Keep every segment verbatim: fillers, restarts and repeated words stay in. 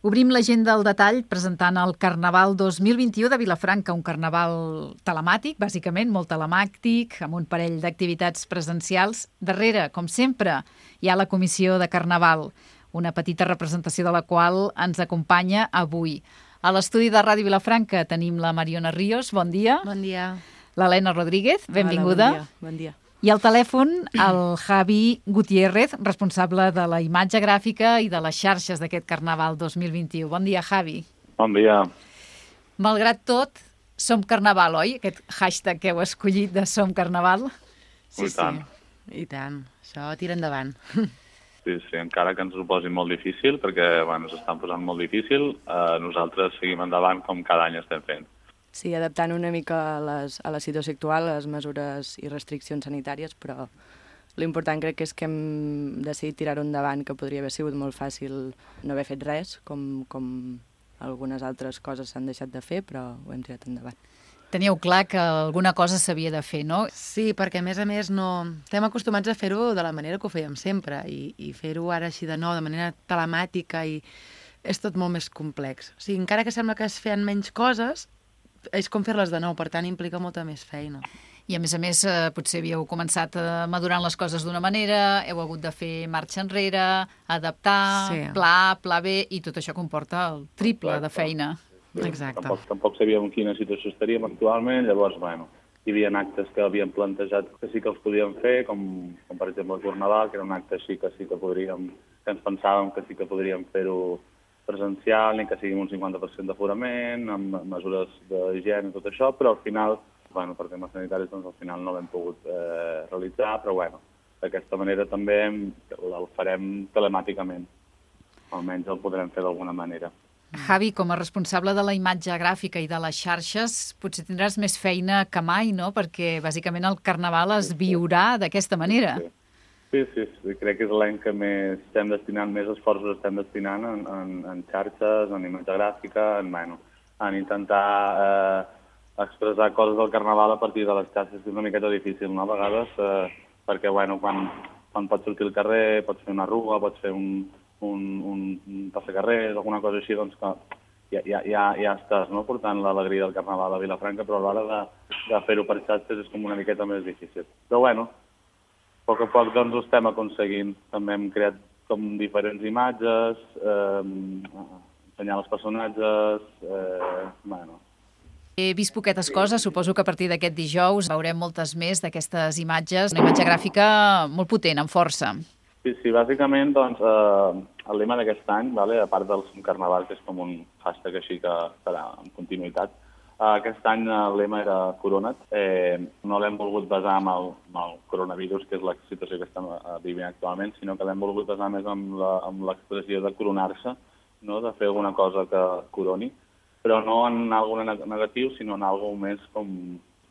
Obrim l'agenda al detall presentant el Carnaval dos mil vint-i-u de Vilafranca, un carnaval telemàtic, bàsicament, molt telemàtic, amb un parell d'activitats presencials. Darrere, com sempre, hi ha la Comissió de Carnaval, una petita representació de la qual ens acompanya avui. A l'estudi de Ràdio Vilafranca tenim la Mariona Ríos, bon dia. Bon dia. L'Helena Rodríguez, benvinguda. Hola, bon dia. Bon dia. I al telèfon, el Javi Gutiérrez, responsable de la imatge gràfica i de les xarxes d'aquest Carnaval dos mil vint-i-u. Bon dia, Javi. Bon dia. Malgrat tot, som Carnaval, oi? Aquest hashtag que heu escollit de Som Carnaval. Sí, I tant. sí, i tant. Això tira endavant. Sí, sí, encara que ens ho posi molt difícil, perquè bueno, s'estan posant molt difícil, eh, nosaltres seguim endavant com cada any estem fent. Sí, adaptant una mica a, les, a la situació actual, a les mesures i restriccions sanitàries, però l'important crec que és que hem decidit tirar-ho endavant, que podria haver sigut molt fàcil no haver fet res, com, com algunes altres coses s'han deixat de fer, però ho hem tirat endavant. Teníeu clar que alguna cosa s'havia de fer, no? Sí, perquè a més a més no... estem acostumats a fer-ho de la manera que ho fèiem sempre, i, i fer-ho ara així de nou, de manera telemàtica, i és tot molt més complex. O sigui, encara que sembla que es feien menys coses, és com fer-les de nou, per tant implica molta més feina. I a més a més eh, potser havíeu començat eh, madurant les coses d'una manera, heu hagut de fer marxa enrere, adaptar, Sí. pla A, pla B, i tot això comporta el triple de feina. Exacte. Tampoc, tampoc sabíem en quina situació estaríem actualment, llavors, bueno, hi havia actes que havíem plantejat que sí que els podíem fer, com, com per exemple el Carnaval, que era un acte així que sí que podríem, que ens pensàvem que sí que podríem fer-ho presencial, ni que sigui un cinquanta per cent d'aforament, amb mesures d'higiene i tot això, però al final, bueno, per temes sanitaris, doncs al final no l'hem pogut eh, realitzar, però bueno, d'aquesta manera també el farem telemàticament, almenys el podrem fer d'alguna manera. Javi, com a responsable de la imatge gràfica i de les xarxes, potser tindràs més feina que mai, no? Perquè bàsicament el Carnaval es viurà d'aquesta manera. Sí. Sí, sí, sí, crec que és l'any que més estem destinant, més esforços estem destinant en, en, en xarxes, en imatge gràfica, en, bueno, en intentar eh, expressar coses del Carnaval a partir de les xarxes, que és una miqueta difícil, no?, a vegades, eh, perquè, bueno, quan, quan pots sortir al carrer, pots fer una rua, pots fer un, un, un, un passacarrers, alguna cosa així, doncs que ja, ja, ja, ja estàs, no?, portant l'alegria del Carnaval a Vilafranca, però a l'hora de, de fer-ho per xarxes és com una miqueta més difícil. Però, bueno, a poc a poc doncs, ho estem aconseguint. També hem creat com diferents imatges, eh, ensenyar els personatges, eh, bueno. He vist poquetes coses, suposo que a partir d'aquest dijous veurem moltes més d'aquestes imatges, una imatge gràfica molt potent, amb força. Sí, sí, bàsicament, doncs, eh, el lema d'aquest any, vale, a part del Carnaval, que és com un hashtag així que serà en continuïtat, aquest any el lema era Corona't. Eh, no l'hem volgut basar en el, en el coronavirus, que és la situació que estem vivint actualment, sinó que l'hem volgut basar més en l'expressió de coronar-se, no? De fer alguna cosa que coroni, però no en alguna negatiu, sinó en alguna més com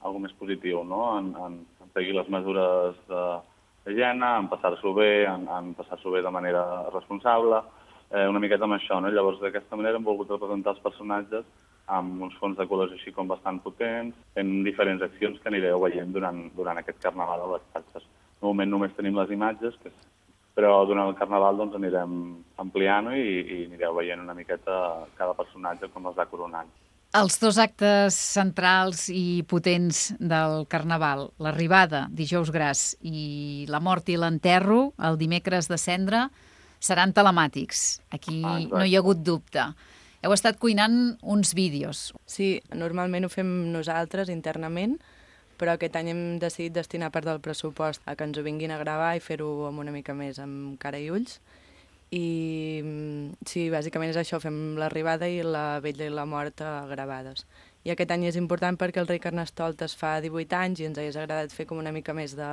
algo més positiu, no? En, en, en seguir les mesures d'higiene, en passar-s'ho bé, en, en passar-s'ho bé de manera responsable, eh, una miqueta amb això, no? Llavors, d'aquesta manera hem volgut representar els personatges amb uns fons de colors així com bastant potents, fent diferents accions que anireu veient durant, durant aquest Carnaval a les xarxes. De moment només tenim les imatges, que, però durant el Carnaval doncs, anirem ampliant i, i anireu veient una miqueta cada personatge com els va coronant. Els dos actes centrals i potents del Carnaval, l'arribada, dijous gras, i la mort i l'enterro, el dimecres de cendra, seran telemàtics. Aquí ah, no hi ha hagut dubte. Heu estat cuinant uns vídeos. Sí, normalment ho fem nosaltres internament, però aquest any hem decidit destinar part del pressupost a que ens ho vinguin a gravar i fer-ho amb una mica més amb cara i ulls. I sí, bàsicament és això, fem l'arribada i la vetlla i la mort gravades. I aquest any és important perquè el rei Carnestoltes fa divuit anys i ens hagués agradat fer com una mica més de,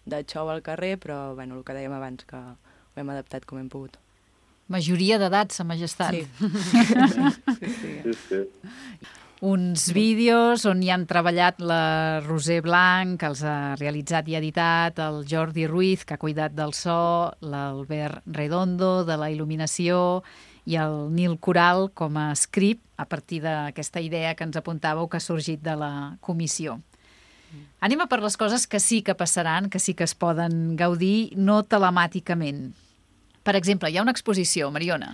de show al carrer, però bueno, el que dèiem abans, que ho hem adaptat com hem pogut. Majoria d'edat, Sa Majestat. Sí. sí, sí. Sí, sí. Uns vídeos on hi han treballat la Roser Blanc, que els ha realitzat i editat, el Jordi Ruiz, que ha cuidat del so, l'Albert Redondo, de la il·luminació, i el Nil Coral com a script, a partir d'aquesta idea que ens apuntàveu que ha sorgit de la comissió. Anem a per les coses que sí que passaran, que sí que es poden gaudir, no telemàticament. Per exemple, hi ha una exposició, Mariona.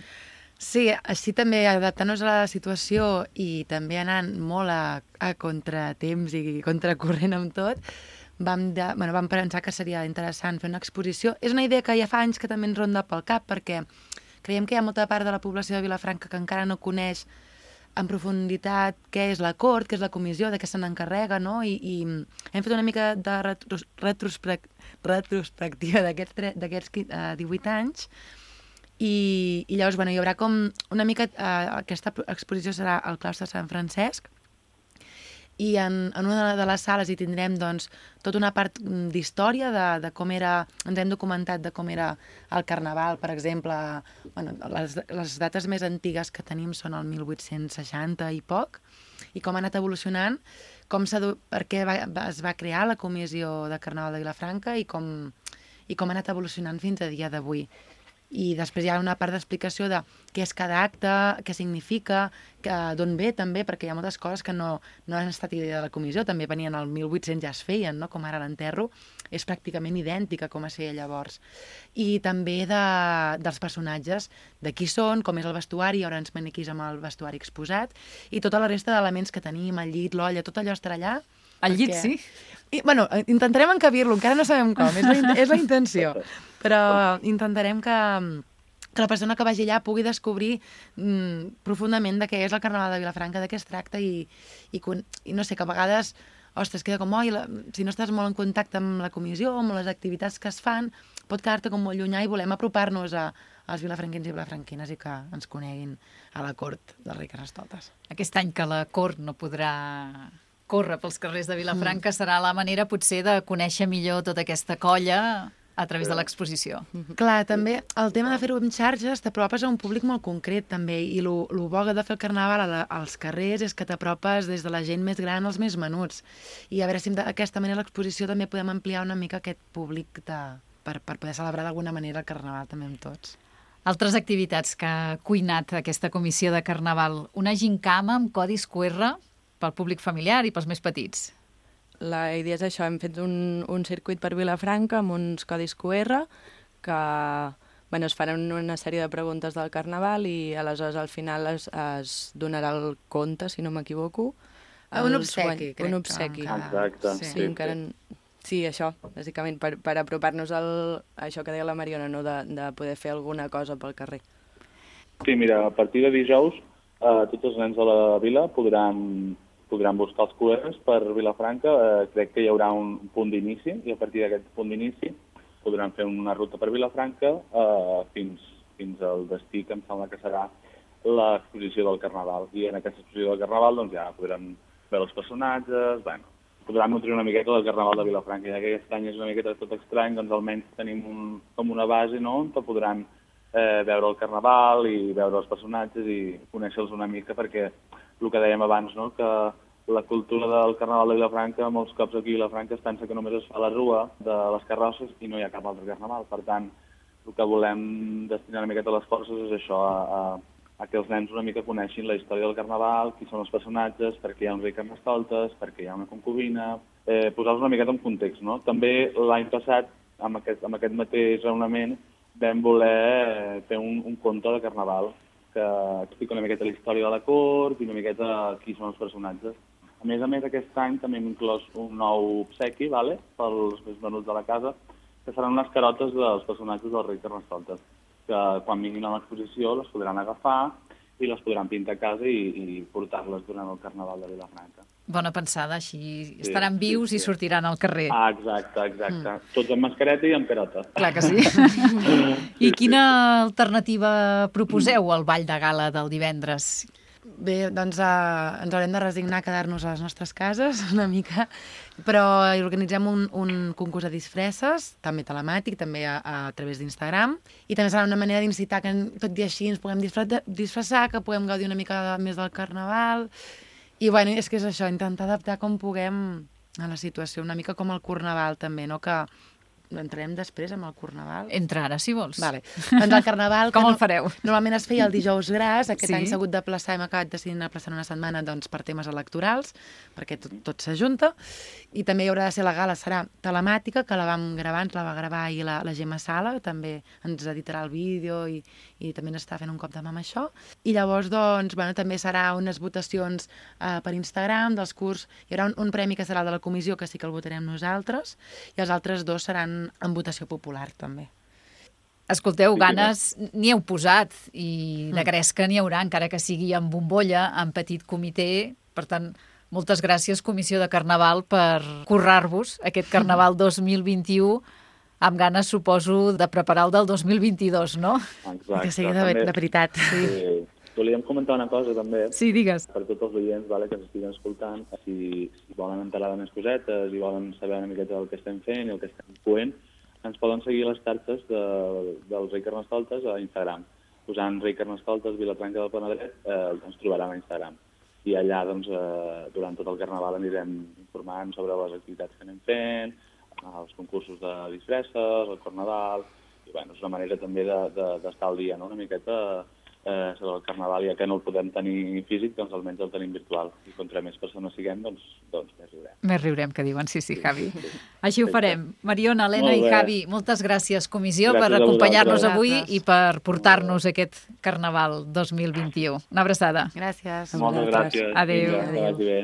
Sí, així també adaptant-nos a la situació i també anant molt a, a contratemps i contracorrent amb tot, vam, de, bueno, vam pensar que seria interessant fer una exposició. És una idea que ja fa anys que també ens ronda pel cap, perquè creiem que hi ha molta part de la població de Vilafranca que encara no coneix en profunditat què és la Cort, què és la comissió, de què se n'encarrega, no? I, i hem fet una mica de retros, retrospect, retrospectiva d'aquests uh, divuit anys. I, i llavors, bueno, hi haurà com una mica... Eh, aquesta exposició serà al claustre de Sant Francesc i en, en una de les sales hi tindrem doncs, tota una part d'història de, de com era... Ens hem documentat de com era el Carnaval, per exemple. Bueno, les, les dates més antigues que tenim són el mil vuit-cents seixanta i poc, i com ha anat evolucionant, com per què va, es va crear la Comissió de Carnaval de Vilafranca i com, i com ha anat evolucionant fins a dia d'avui. I després hi ha una part d'explicació de què és cada acte, què significa, d'on ve també, perquè hi ha moltes coses que no, no han estat idea de la comissió, també venien al mil vuit-cents ja es feien, no? Com ara l'enterro, és pràcticament idèntica com es feia llavors. I també de, dels personatges, de qui són, com és el vestuari, hi haurà uns maniquís amb el vestuari exposat, i tota la resta d'elements que tenim, el llit, l'olla, tot allò estarà allà. El llit, sí? I, bueno, intentarem encabir-lo, encara no sabem com, és la, és la intenció, però intentarem que, que la persona que vagi allà pugui descobrir mm, profundament de què és el Carnaval de Vilafranca, de què es tracta i, i, i no sé, que a vegades, ostres, queda com, oi, la, si no estàs molt en contacte amb la comissió, amb les activitats que es fan, pot quedar-te com molt llunyà i volem apropar-nos a, als vilafranquins i vilafranquines i que ens coneguin a la cort del rei Carnestoltes. Aquest any que la cort no podrà córrer pels carrers de Vilafranca mm. serà la manera potser de conèixer millor tota aquesta colla a través de l'exposició. Mm-hmm. Clar, també el tema de fer-ho amb xarxes t'apropes a un públic molt concret també i el bo de fer el Carnaval a la, als carrers és que t'apropes des de la gent més gran als més menuts i a veure si d'aquesta manera l'exposició també podem ampliar una mica aquest públic de, per, per poder celebrar d'alguna manera el Carnaval també amb tots. Altres activitats que ha cuinat aquesta comissió de Carnaval. Una gincama amb codis Q R pel públic familiar i pels més petits. La idea és això, hem fet un, un circuit per Vilafranca amb uns codis Q R que bueno, es faran una sèrie de preguntes del Carnaval i aleshores al final es, es donarà el compte, si no m'equivoco. Un obsequi, crec. Un obsequi. Que... Exacte. Sí, sí, encara... sí, això, bàsicament, per, per apropar-nos al, a això que deia la Mariona, no? de, de poder fer alguna cosa pel carrer. Sí, mira, a partir de dijous eh, tots els nens de la vila podran podran buscar els Q Rs per Vilafranca. Eh, crec que hi haurà un punt d'inici i a partir d'aquest punt d'inici podran fer una ruta per Vilafranca eh, fins, fins al destí que em sembla que serà l'exposició del Carnaval. I en aquesta exposició del Carnaval doncs, ja podran veure els personatges, bueno, podran nutrir una miqueta del Carnaval de Vilafranca. Ja que aquest any és una miqueta tot estrany, doncs almenys tenim un, com una base, no?, on podran eh, veure el Carnaval i veure els personatges i conèixer-los una mica, perquè el que dèiem abans, no?, que la cultura del Carnaval de Vilafranca, molts cops aquí a Vilafranca es pensa que només es fa la rua de les carrosses i no hi ha cap altre carnaval. Per tant, el que volem destinar una miqueta les forces és això, a, a, a que els nens una mica coneixin la història del Carnaval, qui són els personatges, per què hi ha un rei Carnestoltes, per què hi ha una concubina, eh, posar-los una miqueta en context, no? També l'any passat, amb aquest, amb aquest mateix raonament, vam voler fer un, un conte de Carnaval que explica una miqueta la història de la cort i una miqueta qui són els personatges. A més a més, aquest any també hem inclòs un nou obsequi, vale? Pels més menuts de la casa, que seran unes carotes dels personatges del rei Carnestoltes, que quan vinguin a l'exposició les podran agafar i les podran pintar a casa i, i portar-les durant el Carnaval de Vilafranca. Bona pensada, així estaran sí, vius sí, sí. i sortiran al carrer. Ah, exacte, exacte. Mm. Tots amb mascareta i amb carota. Clar que sí. I quina alternativa proposeu al ball de gala del divendres? Bé, doncs uh, ens haurem de resignar a quedar-nos a les nostres cases una mica, però organitzem un, un concurs de disfresses, també telemàtic, també a, a través d'Instagram, i també serà una manera d'incitar que tot i així ens puguem disfressar, que puguem gaudir una mica més del Carnaval, i bueno, és que és això, intentar adaptar com puguem a la situació, una mica com el Carnaval també, no? Que entrarem després amb el Carnaval? Entra ara, si vols. Vale. Doncs el Carnaval... Com no, el fareu? Normalment es feia el dijous gras, aquest Sí. any s'ha hagut de plaçar, hem acabat decidint aplaçar una setmana doncs, per temes electorals, perquè tot, tot s'ajunta, i també hi haurà de ser la gala, serà telemàtica, que la vam gravar, ens la va gravar ahir la, la Gemma Sala, també ens editarà el vídeo i, i també n'està fent un cop de mà amb això. I llavors, doncs, bueno, també serà unes votacions eh, per Instagram dels curs, hi haurà un, un premi que serà el de la comissió, que sí que el votarem nosaltres, i els altres dos seran en votació popular, també. Escolteu, ganes n'hi heu posat i de gresca n'hi haurà, encara que sigui en bombolla, en petit comitè. Per tant, moltes gràcies, Comissió de Carnaval, per currar-vos aquest Carnaval dos mil vint-i-u, amb ganes, suposo, de preparar el del dos mil vint-i-dos, no? Exacte. Que sigui de, També- de veritat. Sí. Volíem comentar una cosa, també. Sí, digues. Per tots els oients, vale, que ens estiguin escoltant, si, si volen enterar de més cosetes i volen saber una miqueta del que estem fent i el que estem coent, ens poden seguir les xarxes de, del Rei Carnestoltes a Instagram. Posant Rei Carnestoltes, Vilafranca del Penedret, eh, ens trobaran a Instagram. I allà, doncs, eh, durant tot el Carnaval anirem informant sobre les activitats que anem fent, els concursos de disfresses, el Carnaval, i bueno, és una manera també d'estar de, de, al dia, no?, una miqueta eh, sobre el Carnaval, ja que no el podem tenir físic, doncs almenys el tenim virtual. I contra més persones siguem, doncs, doncs més riurem. Més riurem, que diuen. Sí, sí, Javi. Així ho farem. Mariona, Helena Molt i bé. Javi, moltes gràcies, comissió, Gràcies per a acompanyar-nos vosaltres. avui Gràcies. i per portar-nos aquest Carnaval dos mil vint-i-u. Una abraçada. Gràcies. Moltes gràcies. Adéu. Vinga, que vagi bé.